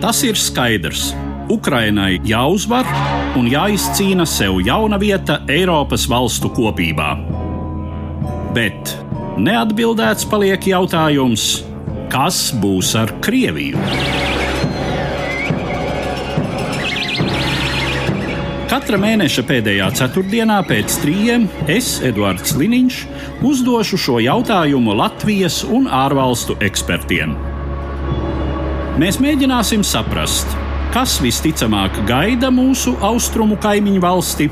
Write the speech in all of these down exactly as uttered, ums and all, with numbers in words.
Tas ir skaidrs. Ukrainai jāuzvar un jāizcīna sev jauna vieta Eiropas valstu kopībā. Bet neatbildēts paliek jautājums, kas būs ar Krieviju? Katra mēneša pēdējā ceturtdienā pēc trījiem es, Eduards Liniņš, uzdošu šo jautājumu Latvijas un ārvalstu ekspertiem. Mēs mēģināsim saprast, kas visticamāk gaida mūsu austrumu kaimiņu valsti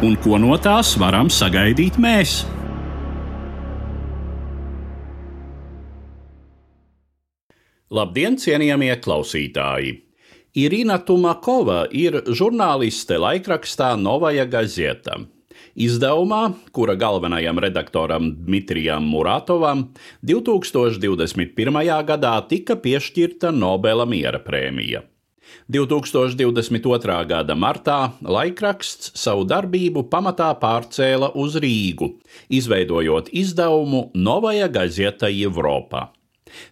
un ko no tās varam sagaidīt mēs. Labdien, cienījamie klausītāji! Irina Tumakova ir žurnāliste laikrakstā Novaja Gazeta. Izdevumā, kura galvenajam redaktoram Dmitrijam Muratovam divi tūkstoši divdesmit pirmajā gadā tika piešķirta Nobela miera prēmija. divi tūkstoši divdesmit otrā gada martā laikraksts savu darbību pamatā pārcēla uz Rīgu, izveidojot izdevumu Novaja Gazeta Evropa.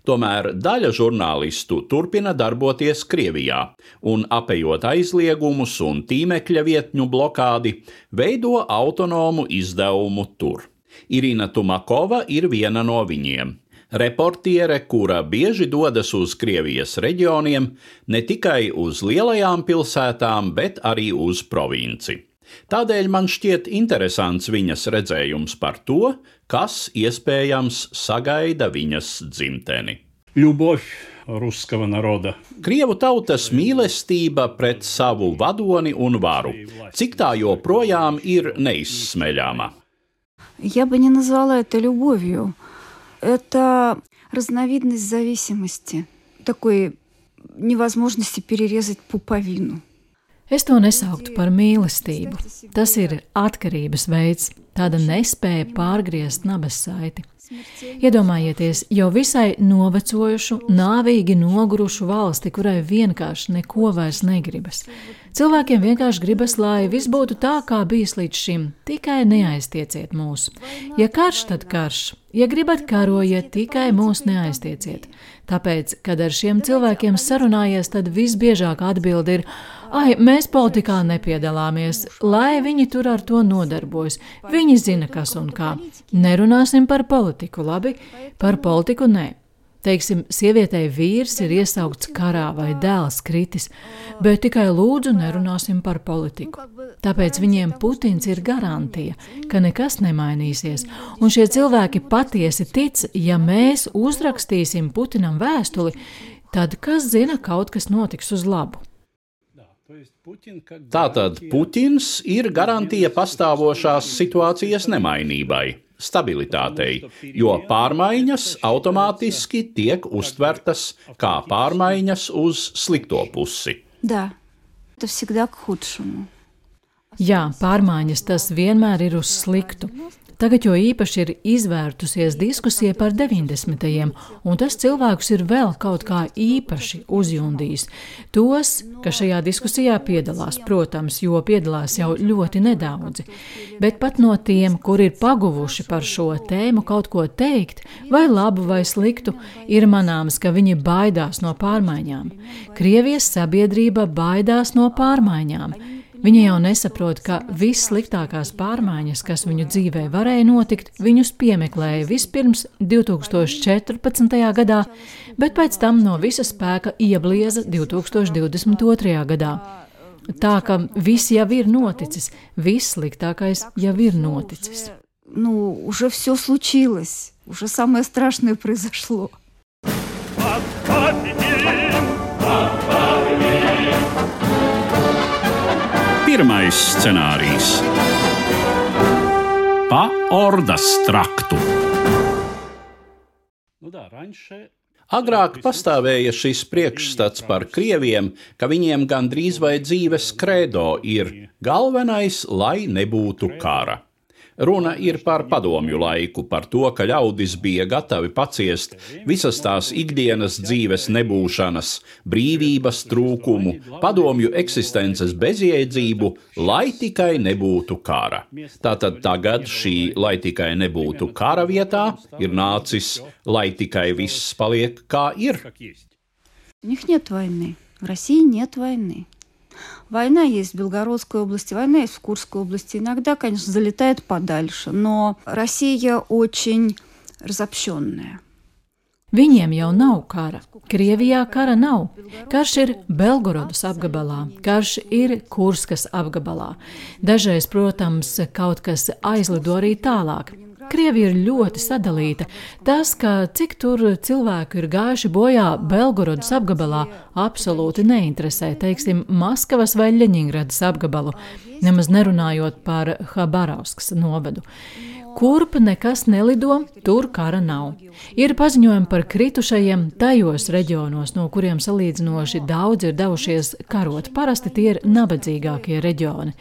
Tomēr daļa žurnālistu turpina darboties Krievijā un, apejot aizliegumus un tīmekļa vietņu blokādi, veido autonomu izdevumu tur. Irina Tumakova ir viena no viņiem. Reportiere, kura bieži dodas uz Krievijas reģioniem, ne tikai uz lielajām pilsētām, bet arī uz provinci. Tādēļ man šķiet interesants viņas redzējums par to, kas iespējams sagaida viņas dzimteni. Ļubovь ruskava naroda. Krievu tautas mīlestība pret savu vadoni un varu, cik tā joprojām ir neizsmeļama. Я бы не назвала это любовью. Это разновидность зависимости, такой невозможности перерезать пуповину. Es to nesauktu par mīlestību. Tas ir atkarības veids, tāda nespēja pārgriezt nabas saiti. Iedomājieties jau visai novecojušu, nāvīgi nogurušu valsti, kurai vienkārši neko vairs negribas. Cilvēkiem vienkārši gribas, lai viss būtu tā, kā bijis līdz šim, tikai neaiztieciet mūs. Ja karš, tad karš. Ja gribat karojiet, tikai mūs neaiztieciet. Tāpēc, kad ar šiem cilvēkiem sarunājies, tad visbiežāk atbildi ir: ai, mēs politikā nepiedalāmies, lai viņi tur ar to nodarbojas. Viņi zina, kas un kā. Nerunāsim par politiku, labi? Par politiku nē. Teiksim, sievietei vīrs ir iesaukts karā vai dēls kritis, bet tikai lūdzu nerunāsim par politiku. Tāpēc viņiem Putins ir garantija, ka nekas nemainīsies, un šie cilvēki patiesi tic, ja mēs uzrakstīsim Putinam vēstuli, tad kas zina, kaut kas notiks uz labu. Tātad Putins ir garantija pastāvošās situācijas nemainībai, stabilitātei, jo pārmaiņas automātiski tiek uztvertas kā pārmaiņas uz slikto pusi. Да, это всегда к худшему. Jā, pārmaiņas tas vienmēr ir uz sliktu. Tagad jo īpaši ir izvērtusies diskusija par deviņdesmitajiem, un tas cilvēkus ir vēl kaut kā īpaši uzjundījis. Tos, kas šajā diskusijā piedalās, protams, jo piedalās jau ļoti nedaudzi, bet pat no tiem, kur ir paguvuši par šo tēmu kaut ko teikt, vai labu vai sliktu, ir manāms, ka viņi baidās no pārmaiņām. Krievijas sabiedrība baidās no pārmaiņām. Viņi jau nesaprot, ka vissliktākās pārmaiņas, kas viņu dzīvē varēja notikt, viņus piemeklēja vispirms divi tūkstoši četrpadsmitajā gadā, bet pēc tam no visa spēka ieblieza divi tūkstoši divdesmit otrajā gadā. Tā ka viss jau ir noticis, vissliktākais jau ir noticis. Ну, уже все случилось, уже самое страшное произошло. Pirmais scenārijs – pa Ordas traktu. Agrāk pastāvēja šis priekšstats par krieviem, ka viņiem gandrīz vai dzīves kredo ir galvenais, lai nebūtu kara. Runa ir par padomju laiku, par to, ka ļaudis bija gatavi paciest visas tās ikdienas dzīves nebūšanas, brīvības trūkumu, padomju eksistences bezjēdzību, lai tikai nebūtu kara. Tātad tagad šī lai tikai nebūtu kara vietā ir nācis, lai tikai viss paliek kā ir. В России нет войны. Война есть в Белгородской области, война есть в Курской области. Иногда, конечно, залетает подальше, но Россия очень разобщенная. Viņiem jau nav kara. Krievijā kara nav. Karš ir Belgorodas apgabalā, karš ir Kurskas apgabalā. Dažreiz, protams, kaut kas aizlido arī tālāk. Krievija ir ļoti sadalīta. Tas, ka cik tur cilvēku ir gājuši bojā Belgorodas apgabalā, absolūti neinteresē, teiksim, Maskavas vai Ļeņingradas apgabalu, nemaz nerunājot par Habarovskas novadu. Kurp nekas nelido, tur kara nav. Ir paziņojumi par kritušajiem tajos reģionos, no kuriem salīdzinoši daudz ir devušies karot. Parasti tie ir nabadzīgākie reģioni.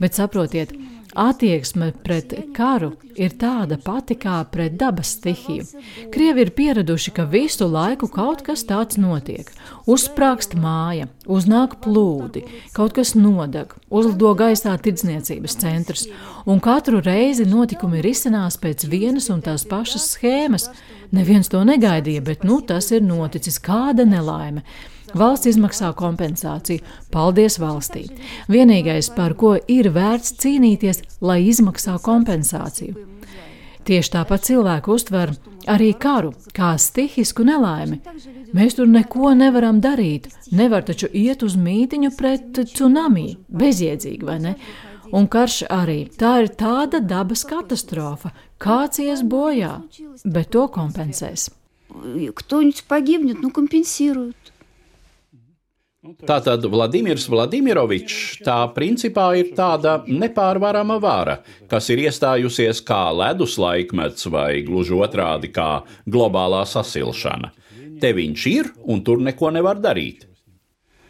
Bet saprotiet, attieksme pret karu ir tāda pati kā pret dabas stihiju. Krievi ir pieraduši, ka visu laiku kaut kas tāds notiek. Uzsprāgst māja, uznāk plūdi, kaut kas nodeg, uzlido gaisā tirdzniecības centrs, un katru reizi notikumi risinās pēc vienas un tās pašas schēmas. Neviens to negaidīja, bet nu tas ir noticis, kāda nelaime. Valsts izmaksā kompensāciju. Paldies valstī. Vienīgais, par ko ir vērts cīnīties, lai izmaksā kompensāciju. Tieši tāpat cilvēki uztver arī karu kā stihisku nelaimi. Mēs tur neko nevaram darīt. Nevar taču iet uz mītiņu pret tsunami. Bezjēdzīgi, vai ne? Un karš arī. Tā ir tāda dabas katastrofa. Kāds ies bojā, bet to kompensēs. Кто-нибудь погибнет, ну компенсируют. Tātad Vladimirs Vladimirovičs tā principā ir tāda nepārvarama vara, kas ir iestājusies kā ledus laikmets vai gluži otrādi kā globālā sasilšana. Te viņš ir un tur neko nevar darīt.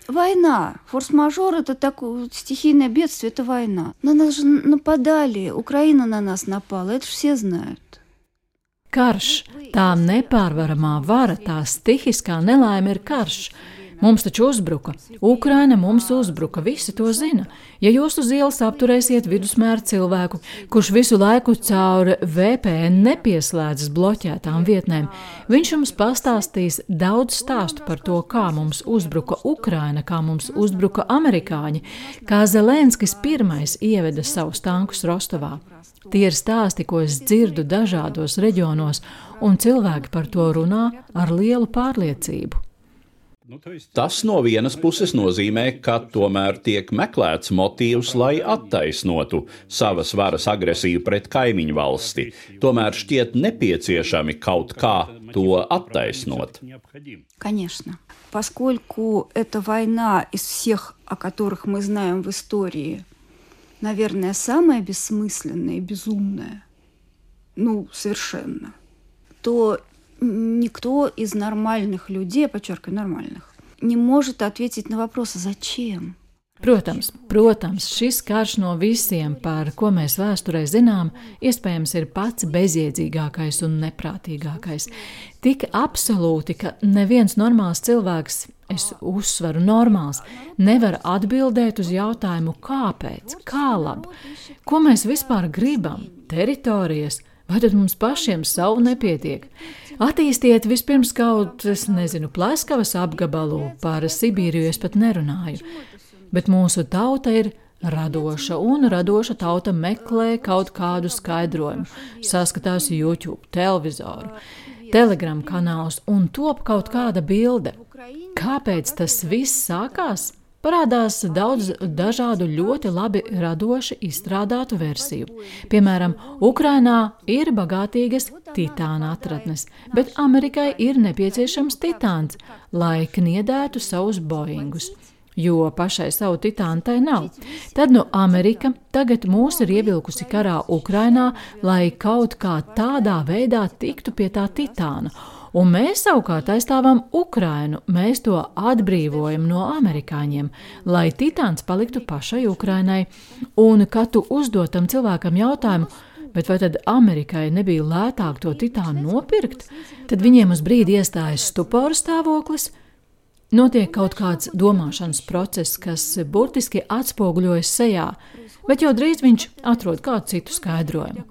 Война. Форс-мажор – это такое стихийное бедствие, это война. На нас же нападали, Украина на нас напала, это все знают. Karš, tā nepārvaramā vara, tā stihiskā nelaime ir karš. Mums taču uzbruka. Ukraina mums uzbruka, visi to zina. Ja jūs uz ielas apturēsiet vidusmēra cilvēku, kurš visu laiku caur V P N nepieslēdzas bloķētām vietnēm, viņš jums pastāstīs daudz stāstu par to, kā mums uzbruka Ukraina, kā mums uzbruka amerikāņi, kā Zelenskis pirmais ieveda savus tankus Rostovā. Tie ir stāsti, ko es dzirdu dažādos reģionos, un cilvēki par to runā ar lielu pārliecību. Tas no vienas puses nozīmē, ka tomēr tiek meklēts motīvs, lai attaisnotu savas varas agresiju pret kaimiņu valsti. Tomēr šķiet nepieciešami kaut kā to attaisnot. Конечно. Поскольку эта война из всех, о которых мы знаем в истории, наверное, самая бессмысленная и безумная, ну, совершенно, то никто из нормальных людей, подчеркиваю, нормальных, не может ответить на вопрос, зачем? Protams, protams, šis karš no visiem, par ko mēs vēsturē zinām, iespējams ir pats bezjēdzīgākais un neprātīgākais. Tik absolūti, ka neviens normāls cilvēks, es uzsveru normāls, nevar atbildēt uz jautājumu, kāpēc, kā labi, ko mēs vispār gribam, teritorijas, vai tad mums pašiem savu nepietiek? Attīstiet vispirms kaut, es nezinu, Pleskavas apgabalu, par Sibīriju es pat nerunāju. Bet mūsu tauta ir radoša, un radoša tauta meklē kaut kādu skaidrojumu, saskatās YouTube, televizoru, Telegram kanālus un top kaut kāda bilde. Kāpēc tas viss sākās? Parādās daudz dažādu ļoti labi radoši izstrādātu versiju. Piemēram, Ukrainā ir bagātīgas titāna atradnes, bet Amerikai ir nepieciešams titāns, lai kniedētu savus Boeingus, jo pašai savu titānu tai nav. Tad nu Amerika tagad mūs ir ievilkusi karā Ukrainā, lai kaut kā tādā veidā tiktu pie tā titāna. Un mēs savukārt aizstāvam Ukrainu, mēs to atbrīvojam no amerikāņiem, lai titāns paliktu pašai Ukrainai. Un, kad tu uzdod tam cilvēkam jautājumu, bet vai tad Amerikai nebija lētāk to titānu nopirkt, tad viņiem uz brīdi iestājas stupora stāvoklis, notiek kaut kāds domāšanas process, kas burtiski atspoguļojas sejā, bet jau drīz viņš atrod kādu citu skaidrojumu.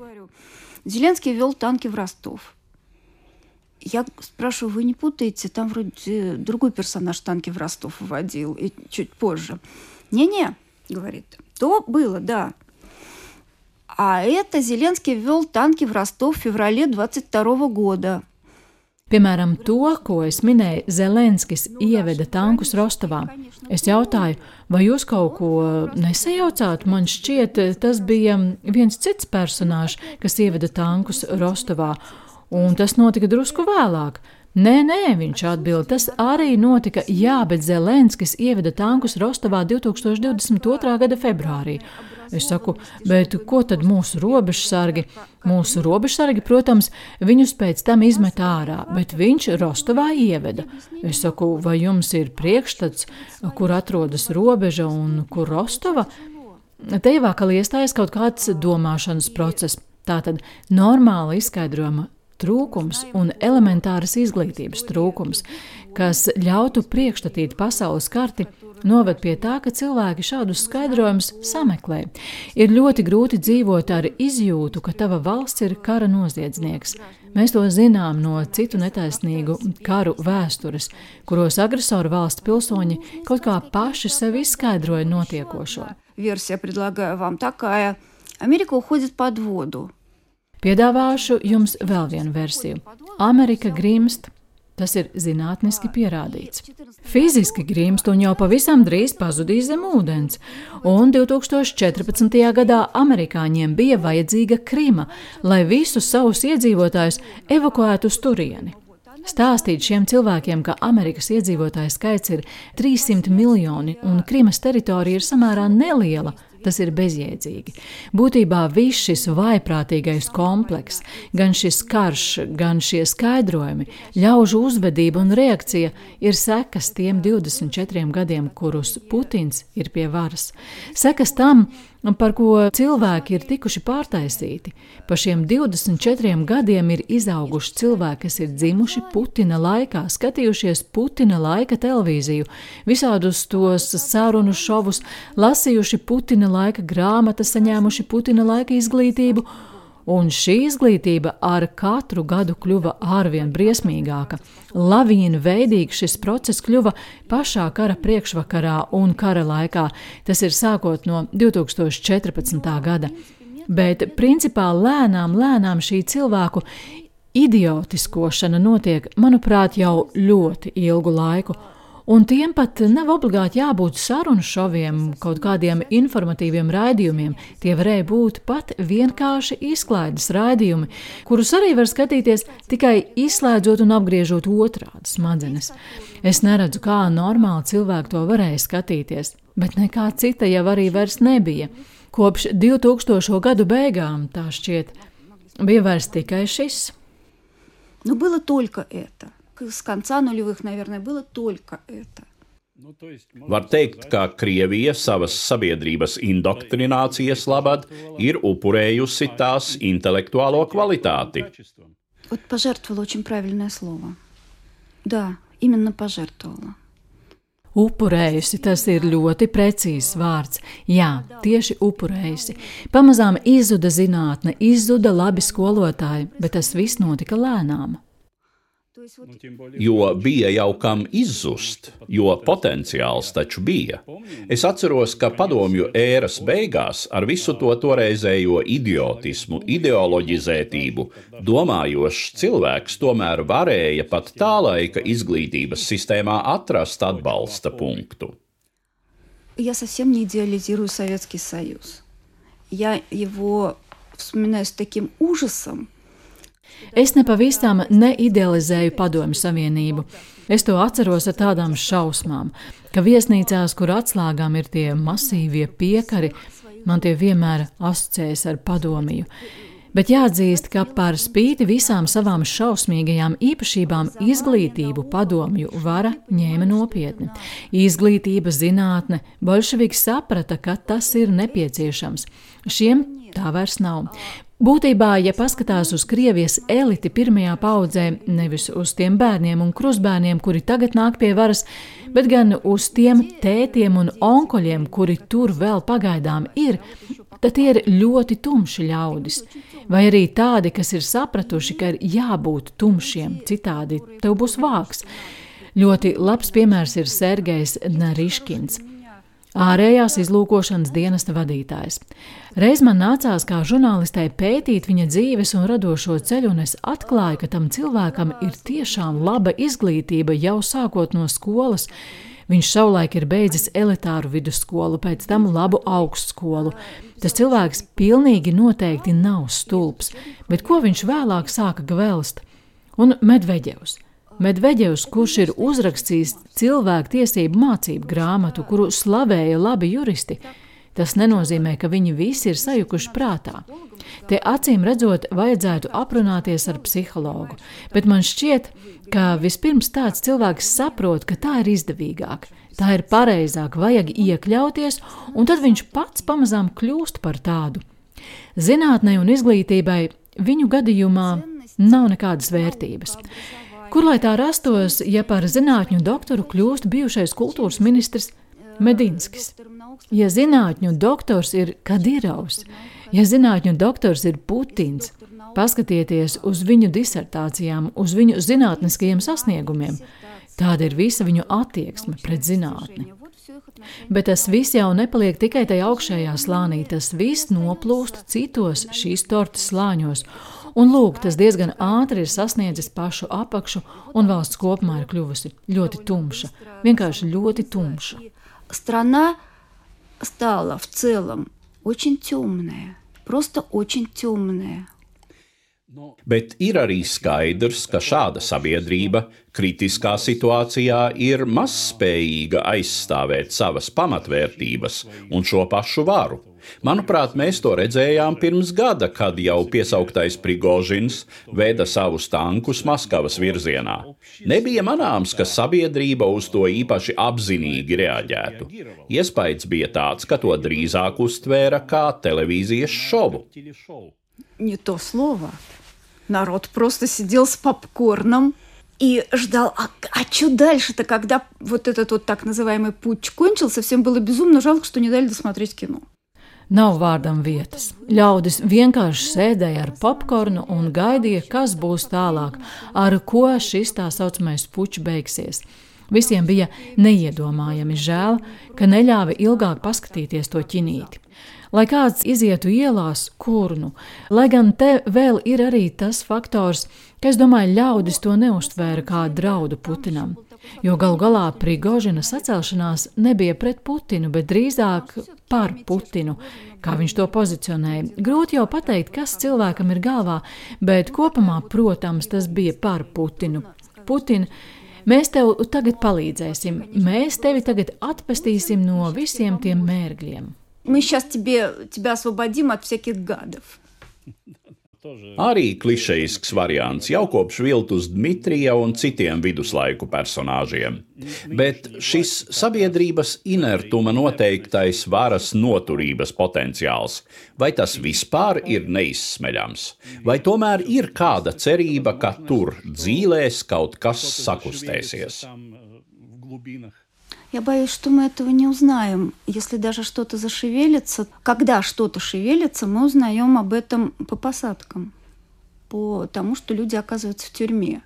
Zelenskij вел танки в Ростов. Я спрашиваю, вы не путаете? Там вроде другой персонаж танки в Ростов вводил, и чуть позже. Не-не, говорит, то было, да. А это Зеленский ввел танки в Ростов в феврале двадцать второго года. Piemēram, to, ko es minēju, Zelenskis ieveda tankus Rostovā. Es jautāju, vai jūs kaut ko nesajaucāt? Man šķiet, tas bija viens cits personāžs, kas ieveda tankus Rostovā, un tas notika drusku vēlāk. Nē, nē, viņš atbild, tas arī notika, jā, bet Zelenskis ieveda tankus Rostovā divtūkstoš divdesmit otrā gada februārī. Es saku, bet ko tad mūsu robežsargi? Mūsu robežsargi, protams, viņus pēc tam izmet ārā, bet viņš Rostovā ieveda. Es saku, vai jums ir priekšstats, kur atrodas robeža un kur Rostova? Te jau atkal iestājas kaut kāds domāšanas process. Tātad normāla izskaidrojuma trūkums un elementāras izglītības trūkums, kas ļautu priekšstatīt pasaules karti, noved pie tā, ka cilvēki šādus skaidrojumus sameklē. Ir ļoti grūti dzīvot ar izjūtu, ka tava valsts ir kara noziedznieks. Mēs to zinām no citu netaisnīgu karu vēstures, kuros agresoru valsts pilsoņi kaut kā paši sev izskaidroja notiekošo. Versija предлагаю вам такая. Америка уходит под воду. Piedāvāšu jums vēl vienu versiju. Amerika grimst, tas ir zinātniski pierādīts. Fiziski grimst un jau pavisam drīz pazudīs zem ūdens, un divtūkstoš četrpadsmitajā gadā amerikāņiem bija vajadzīga Krima, lai visus savus iedzīvotājus evakuētu uz turieni. Stāstīt šiem cilvēkiem, ka Amerikas iedzīvotāju skaits ir trīssimt miljoni un Krimas teritorija ir samērā neliela, tas ir bezjēdzīgi. Būtībā viss šis vaiprātīgais komplekss, gan šis karš, gan šie skaidrojumi, ļaužu uzvedība un reakcija ir sekas tiem divdesmit četriem gadiem, kurus Putins ir pie varas. Sekas tam, par ko cilvēki ir tikuši pārtaisīti. Pa šiem divdesmit četriem gadiem ir izauguši cilvēki, kas ir dzimuši Putina laikā, skatījušies Putina laika televīziju, visādus tos sarunu šovus, lasījuši Putina laika grāmatas, saņēmuši Putina laika izglītību, un šī izglītība ar katru gadu kļuva ārvien briesmīgāka. Lavīna veidīgi šis process kļuva pašā kara priekšvakarā un kara laikā, tas ir sākot no divtūkstoš četrpadsmitā gada. Bet principā lēnām, lēnām šī cilvēku idiotiskošana notiek, manuprāt, jau ļoti ilgu laiku. Un tiem pat nav obligāti jābūt sarunu šoviem, kaut kādiem informatīviem raidījumiem. Tie varēja būt pat vienkārši izklaides raidījumi, kurus arī var skatīties tikai izslēdzot un apgriežot otrādi smadzenes. Es neredzu, kā normāli cilvēki to varēja skatīties, bet nekā cita jau arī vairs nebija. Kopš divtūkstošo gadu beigām, tā šķiet, bija vairs tikai šis. Nu, было только это. С конца нулевых, наверное, было только это. Var teikt, ka Krievija savas sabiedrības indoktrinācijas labad ir upurējusi tās intelektuālo kvalitāti. Вот пожертвовала очень правильное слово. Да, именно пожертвовала. Upurējusi, tas ir ļoti precīzs vārds. Jā, tieši upurējusi. Pamazām izzuda zinātne, izzuda labi skolotāji, bet tas viss notika lēnām. Jo bija jau kam izzust, jo potenciāls taču bija. Es atceros, ka padomju ēras beigās ar visu to toreizējo idiotismu, ideoloģizētību, domājošs cilvēks tomēr varēja pat tā laika izglītības sistēmā atrast atbalsta punktu. Я совсем не идеализирую Советский Союз. Я его вспоминаю с таким ужасом. Es nepavisam neidealizēju Padomju Savienību. Es to atceros ar tādām šausmām, ka viesnīcās, kur atslēgām ir tie masīvie piekari, man tie vienmēr asociējas ar padomiju. Bet jāatzīst, ka par spīti visām savām šausmīgajām īpašībām izglītību padomju vara ņēma nopietni. Izglītība, zinātne, bolševiki saprata, ka tas ir nepieciešams. Šiem tā vairs nav. Būtībā, ja paskatās uz Krievijas eliti pirmajā paudzē, nevis uz tiem bērniem un krustbērniem, kuri tagad nāk pie varas, bet gan uz tiem tētiem un onkoļiem, kuri tur vēl pagaidām ir, tad tie ir ļoti tumši ļaudis, vai arī tādi, kas ir sapratuši, ka ir jābūt tumšiem, citādi tev būs vāks. Ļoti labs piemērs ir Sergejs Nariškins, ārējās izlūkošanas dienesta vadītājs. Reiz man nācās kā žurnālistei pētīt viņa dzīves un radošo ceļu, un es atklāju, ka tam cilvēkam ir tiešām laba izglītība jau sākot no skolas. Viņš savulaik ir beidzis elitāru vidusskolu, pēc tam labu augstskolu. Tas cilvēks pilnīgi noteikti nav stulbs, bet ko viņš vēlāk sāka gvelst? Un Medveģevs. Medveģevs, kurš ir uzrakstījis cilvēku tiesību mācību grāmatu, kuru slavēja labi juristi, tas nenozīmē, ka viņi visi ir sajukuši prātā. Te acīm redzot, vajadzētu aprunāties ar psihologu, bet man šķiet, ka vispirms tāds cilvēks saprot, ka tā ir izdevīgāk, tā ir pareizāk, vajag iekļauties, un tad viņš pats pamazām kļūst par tādu. Zinātnei un izglītībai viņu gadījumā nav nekādas vērtības. Kur lai tā rastos, ja par zinātņu doktoru kļūst bijušais kultūras ministrs Medinskis? Ja zinātņu doktors ir Kadirovs, ja zinātņu doktors ir Putins, paskatieties uz viņu disertācijām, uz viņu zinātniskajiem sasniegumiem. Tāda ir visa viņu attieksme pret zinātni. Bet tas viss jau nepaliek tikai tajā augšējā slānī, tas viss noplūst citos šīs tortes slāņos. Un lūk, tas diezgan ātri ir sasniedzis pašu apakšu, un valsts kopumā ir kļuvusi ļoti tumša. Vienkārši ļoti tumša. Страна стала в целом очень темная, просто очень темная. Bet ir arī skaidrs, ka šāda sabiedrība kritiskā situācijā ir mazspējīga aizstāvēt savas pamatvērtības un šo pašu varu. Manuprāt, mēs to redzējām pirms gada, kad jau piesauktais Prigožins veda savus tankus Maskavas virzienā. Nebija manāms, ka sabiedrība uz to īpaši apzinīgi reaģētu. Iespējas bija tāds, ka to drīzāk uztvēra kā televīzijas šovu. Не то слово. Народ просто сидел с попкорном и ждал, а, а что дальше-то, когда вот этот вот так называемый путч кончился, всем было безумно жалко, что не дали досмотреть кино. Nav vārdam vietas. Ļaudis vienkārši sēdēja ar popkornu un gaidīja, kas būs tālāk, ar ko šis tā saucamais pučs beigsies. Visiem bija neiedomājami žēl, ka neļāva ilgāk paskatīties to ķinīti. Lai kāds izietu ielās, kur nu, lai gan te vēl ir arī tas faktors, ka es domāju, ļaudis to neuztvēra kā draudu Putinam, jo galu galā Prigožina sacelšanās nebija pret Putinu, bet drīzāk par Putinu, kā viņš to pozicionēja. Grūti jau pateikt, kas cilvēkam ir galvā, bet kopumā, protams, tas bija par Putinu. Putin, mēs tev tagad palīdzēsim, mēs tevi tagad atpestīsim no visiem tiem mērgļiem. Мы сейчас тебе, тебя освободим от всяких гадов. Arī klišejisks variants jau kopš viltus Dmitrija un citiem viduslaiku personāžiem. Bet šis sabiedrības inertuma noteiktais varas noturības potenciāls, vai tas vispār ir neizsmeļams? Vai tomēr ir kāda cerība, ka tur dzīlēs kaut kas sakustēsies? Я боюсь, что мы этого не узнаем. Если даже что-то зашевелится, когда что-то шевелится, мы узнаем об этом по посадкам, по тому, что люди оказываются в тюрьме.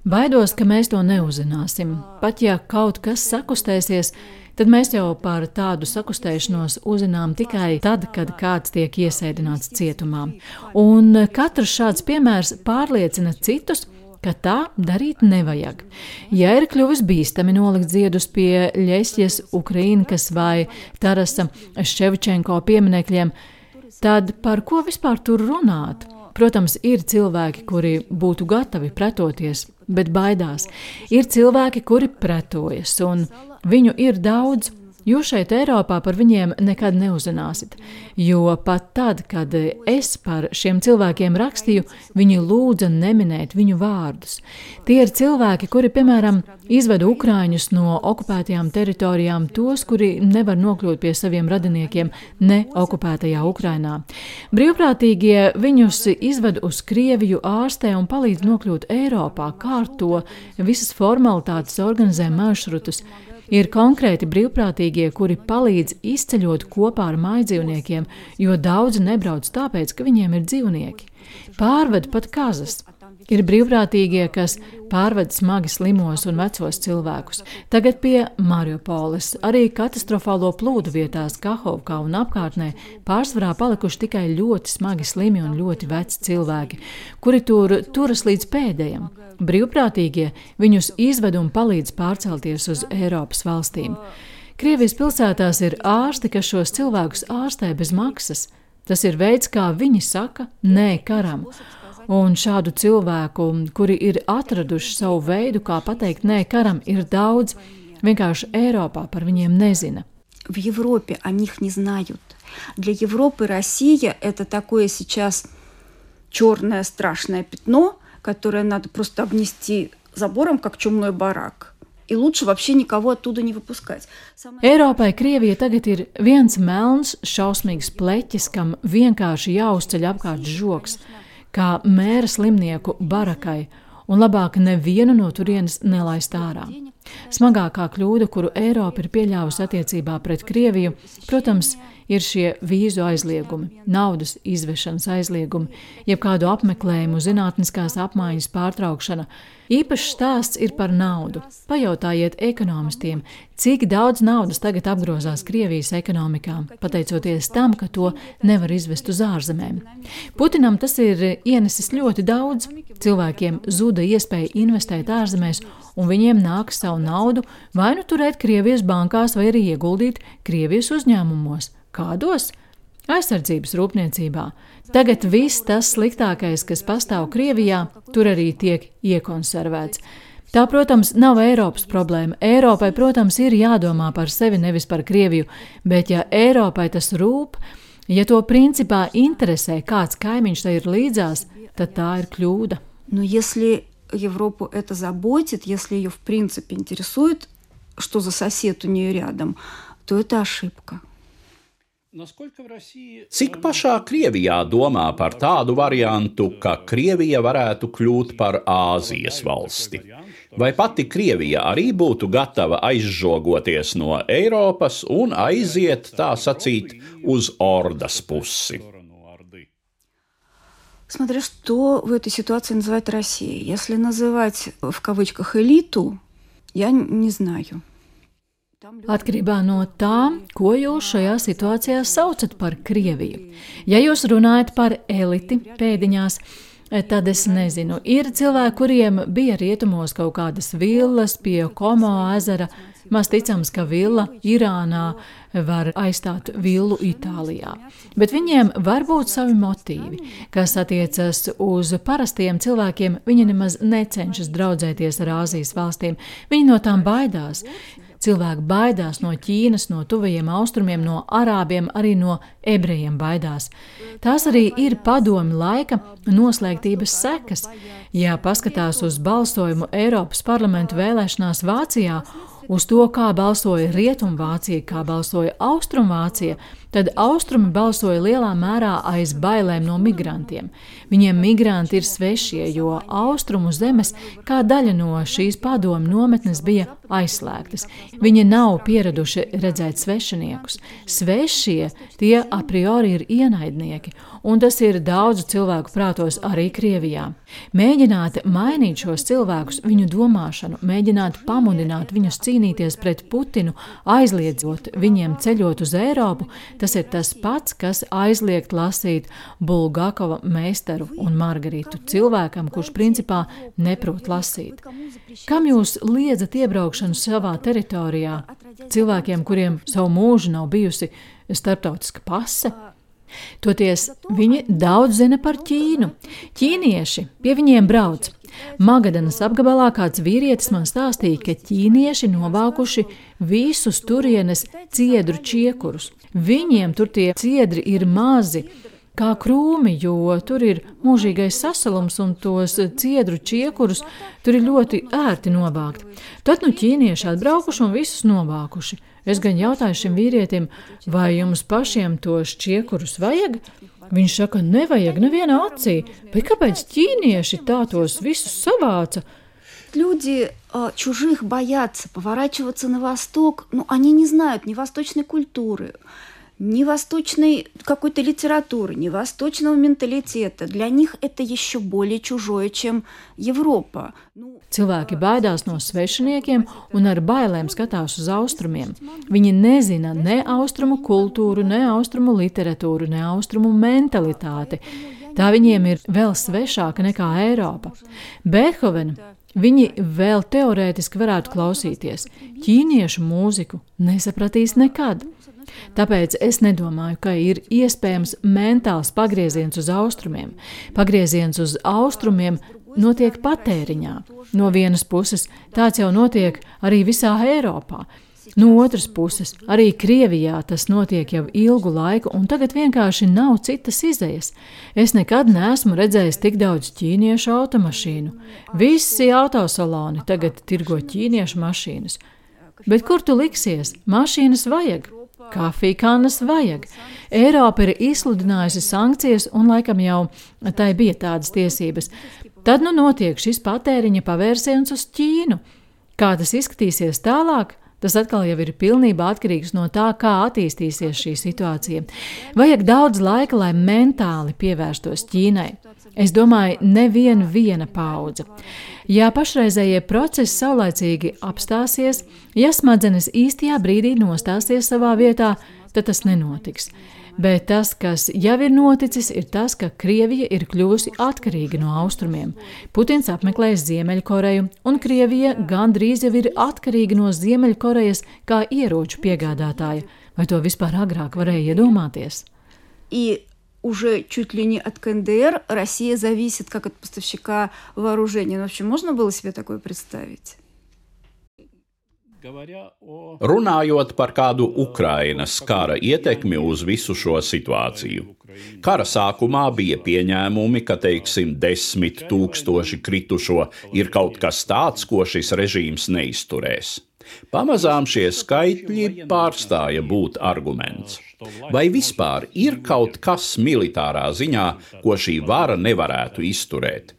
Baidos, ka mēs to neuzzināsim. Pat ja kaut kas sakustēsies, tad mēs jau par tādu sakustēšanos uzzinām tikai tad, kad kāds tiek iesēdināts cietumā. Un katrs šāds piemērs pārliecina citus, ka tā darīt nevajag. Ja ir kļuvis bīstami nolikt ziedus pie Ļesjas Ukrainkas vai Tarasa Ševčenko pieminekļiem, tad par ko vispār tur runāt? Protams, ir cilvēki, kuri būtu gatavi pretoties, bet baidās. Ir cilvēki, kuri pretojas, un viņu ir daudz. Jūs šeit Eiropā par viņiem nekad neuzzināsit, jo pat tad, kad es par šiem cilvēkiem rakstīju, viņi lūdza neminēt viņu vārdus. Tie ir cilvēki, kuri, piemēram, izveda ukraiņus no okupētajām teritorijām, tos, kuri nevar nokļūt pie saviem radiniekiem ne okupētajā Ukrainā. Brīvprātīgie viņus izved uz Krieviju, ārstē un palīdz nokļūt Eiropā, kārto visas formalitātes, organizē maršrutus. Ir konkrēti brīvprātīgie, kuri palīdz izceļot kopā ar mājdzīvniekiem, jo daudzi nebrauc tāpēc, ka viņiem ir dzīvnieki. Pārved pat kazas. Ir brīvprātīgie, kas pārved smagi slimos un vecos cilvēkus. Tagad pie Mariupoles, arī katastrofālo plūdu vietās Kahovkā un apkārtnē pārsvarā palikuši tikai ļoti smagi slimi un ļoti veci cilvēki, kuri tur turas līdz pēdējam. Brīvprātīgie viņus izved un palīdz pārcelties uz Eiropas valstīm. Krievijas pilsētās ir ārsti, kas šos cilvēkus ārstē bez maksas. Tas ir veids, kā viņi saka nē karam. Un šādu cilvēku, kuri ir atraduši savu veidu, kā pateikt nē karam, ir daudz. Vienkārši Eiropā par viņiem nezina. В Европе о них не знают. Для Европы Россия – это такое сейчас черное страшное пятно, которое надо просто обнести забором, как чумной барак. И лучше вообще никого оттуда не выпускать. Eiropai Krievija tagad ir viens melns, šausmīgs pleķis, kam vienkārši jāuzceļ apkārt žoks, kā mēra slimnieku barakai, un labāk nevienu no turienes nelaist ārā. Smagākā kļūda, kuru Eiropa ir pieļāvusi attiecībā pret Krieviju, protams, ir šie vīzu aizliegumi, naudas izvešanas aizliegumi, jeb kādu apmeklējumu, zinātniskās apmaiņas pārtraukšana. Īpašs stāsts ir par naudu. Pajautājiet ekonomistiem, cik daudz naudas tagad apgrozās Krievijas ekonomikā, pateicoties tam, ka to nevar izvest uz ārzemēm. Putinam tas ir ienesis ļoti daudz. Cilvēkiem zuda iespēja investēt ārzemēs, un viņiem nāk savu naudu vai nu turēt Krievijas bankās, vai arī ieguldīt Krievijas uzņēmumos. Kādos? Aizsardzības rūpniecībā. Tagad viss tas sliktākais, kas pastāv Krievijā, tur arī tiek iekonservēts. Tā, protams, nav Eiropas problēma. Eiropai, protams, ir jādomā par sevi, nevis par Krieviju, bet ja Eiropai tas rūp, ja to principā interesē, kāds kaimiņš tai ir līdzās, tad tā ir kļūda. Но если Европу это заботит, если ее в принципе интересует, что за сосед у нее рядом, то это ошибка. Cik pašā Krievijā domā par tādu variantu, ka Krievija varētu kļūt par Āzijas valsti? Vai pati Krievija arī būtu gatava aizžogoties no Eiropas un aiziet, tā sacīt, uz ordas pusi? Смотря что в этой ситуации называть Россией. Если называть в кавычках элиту, я не знаю. Atkarībā no tā, ko jūs šajā situācijā saucat par Krieviju. Ja jūs runājat par eliti pēdiņās, tad es nezinu. Ir cilvēki, kuriem bija rietumos kaut kādas villas pie Komo ezera. Maz ticams, ka villa Irānā var aizstāt villu Itālijā. Bet viņiem var būt savi motīvi, kas attiecas uz parastiem cilvēkiem. Viņi nemaz necenšas draudzēties ar Āzijas valstīm. Viņi no tām baidās. Cilvēki baidās no Ķīnas, no tuvajiem austrumiem, no arābiem, arī no ebrejiem baidās. Tās arī ir padomi laika noslēgtības sekas. Ja paskatās uz balsojumu Eiropas parlamentu vēlēšanās Vācijā, uz to, kā balsoja Rietumvācija, kā balsoja Austrumvācija, tad Austrumi balsoja lielā mērā aiz bailēm no migrantiem. Viņiem migranti ir svešie, jo Austrumu zemes kā daļa no šīs padomu nometnes bija aizslēgtas. Viņi nav pieraduši redzēt svešiniekus. Svešie tie a priori ir ienaidnieki, un tas ir daudzu cilvēku prātos arī Krievijā. Mēģināt mainīt šos cilvēkus, viņu domāšanu, mēģināt pamudināt viņus cīnīties pret Putinu, aizliedzot viņiem ceļot uz Eiropu, tas ir tas pats, kas aizliegt lasīt Bulgakova Meistaru un Margaritu cilvēkam, kurš principā neprot lasīt. Kam jūs liedzat iebraukšanu savā teritorijā? Cilvēkiem, kuriem savu mūžu nav bijusi starptautiska pase? Toties viņi daudz zina par Ķīnu. Ķīnieši pie viņiem brauc. Magadanas apgabalā kāds vīrietis man stāstīja, ka ķīnieši novākuši visus turienes ciedru čiekurus. Viņiem tur tie ciedri ir mazi, kā krūmi, jo tur ir mūžīgais sasalums un tos ciedru čiekurus tur ir ļoti ērti novākt. Tad nu ķīnieši atbraukuši un visus novākuši. Es gan jautāju šim vīrietim, vai jums pašiem tos čiekurus vajag? Viņš saka, nevajag nevienā acī, bet kāpēc ķīnieši tā tos visus savāca? вот люди э, чужих боятся, поворачиваться на восток, ну, они не знают ни восточной культуры, ни восточной какой-то литературы, ни восточного менталитета. Для них это еще более чужое, чем Европа. Cilvēki baidās no svešiniekiem un ar bailēm skatās uz austrumiem. Viņi nezina ne austrumu kultūru, ne austrumu literatūru, ne austrumu mentalitāti. Tā viņiem ir vēl svešāka nekā Eiropa. Beethovena viņi vēl teorētiski varētu klausīties. Ķīniešu mūziku nesapratīs nekad. Tāpēc es nedomāju, ka ir iespējams mentāls pagrieziens uz austrumiem. Pagrieziens uz austrumiem notiek patēriņā. No vienas puses tāds jau notiek arī visā Eiropā. No otras puses, arī Krievijā tas notiek jau ilgu laiku, un tagad vienkārši nav citas izejas. Es nekad neesmu redzējis tik daudz ķīniešu automašīnu. Visi autosaloni tagad tirgo ķīniešu mašīnas. Bet kur tu liksies? Mašīnas vajag. Kafijkannas vajag. Eiropa ir izsludinājusi sankcijas, un laikam jau tai bija tādas tiesības. Tad nu notiek šis patēriņa pavērsiens uz Ķīnu. Kā tas izskatīsies tālāk? Tas atkal jau ir pilnībā atkarīgs no tā, kā attīstīsies šī situācija. Vajag daudz laika, lai mentāli pievērstos Ķīnai. Es domāju, neviena viena paudze. Ja pašreizējie procesi saulaicīgi apstāsies, ja smadzenes īstajā brīdī nostāsies savā vietā, tad tas nenotiks. Bet tas, kas jau ir noticis, ir tas, ka Krievija ir kļuvusi atkarīga no austrumiem. Putins apmeklēs Ziemeļkoreju, un Krievija gandrīz jau ir atkarīga no Ziemeļkorejas kā ieroču piegādātāja. Vai to vispār agrāk varēja iedomāties? И уже чуть ли не от КНДР Россия зависит как от поставщика вооружения. Ну, вообще, можно было себе такое представить? Runājot par kādu Ukrainas kara ietekmi uz visu šo situāciju. Kara sākumā bija pieņēmumi, ka, teiksim, desmit tūkstoši kritušo ir kaut kas tāds, ko šis režīms neizturēs. Pamazām šie skaitļi pārstāja būt arguments. Vai vispār ir kaut kas militārā ziņā, ko šī vara nevarētu izturēt?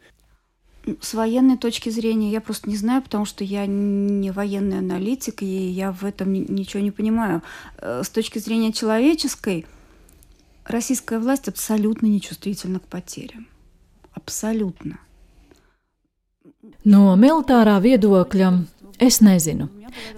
С военной точки зрения я просто не знаю, потому что я не военный аналитик, и я в этом ничего не понимаю. С точки зрения человеческой, российская власть абсолютно нечувствительна к потерям. Абсолютно. No militārā viedokļa es nezinu.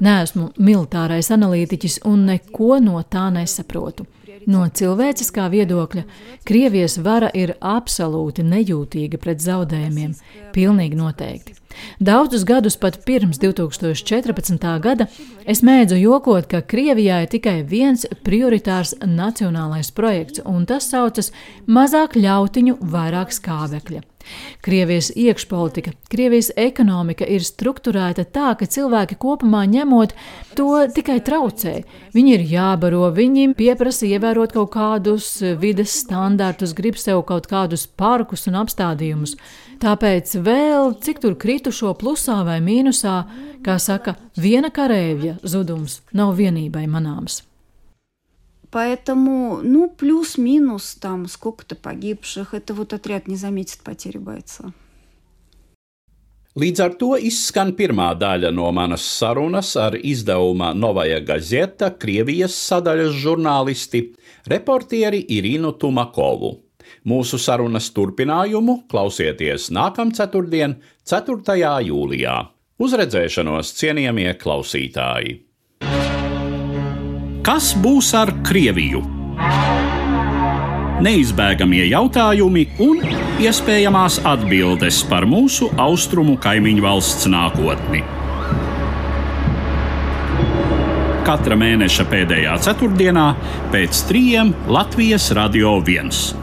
Neesmu militārais analītiķis un neko no tā nesaprotu. No cilvēciskā viedokļa Krievijas vara ir absolūti nejūtīga pret zaudējumiem, pilnīgi noteikti. Daudzus gadus pat pirms divi tūkstoši četrpadsmitā gada es mēdzu jokot, ka Krievijā ir tikai viens prioritārs nacionālais projekts, un tas saucas mazāk ļautiņu, vairāk skābekļa. Krievijas iekšpolitika, Krievijas ekonomika ir strukturēta tā, ka cilvēki kopumā ņemot to tikai traucē. Viņi ir jābaro, viņi pieprasa ievērot kaut kādus vides standartus, grib sev kaut kādus parkus un apstādījumus. Tāpēc vēl, cik tur kritušo plusā vai mīnusā, kā saka, viena kareivja zudums nav vienībai manāms. Поэтому, ну, плюс-минус, там, сколько-то погибших, это вот отряд не заметит потери бойца. Līdz ar to izskan pirmā daļa no manas sarunas ar izdevuma Novaja Gazeta Krievijas sadaļas žurnālisti, reportieri Irinu Tumakovu. Mūsu sarunas turpinājumu klausieties nākamceturtdien, ceturtajā jūlijā. Uz redzēšanos, cienījamie klausītāji! Kas būs ar Krieviju? Neizbēgamie jautājumi un iespējamās atbildes par mūsu austrumu kaimiņu valsts nākotni. Katra mēneša pēdējā ceturtdienā pēc trījiem Latvijas Radio viens.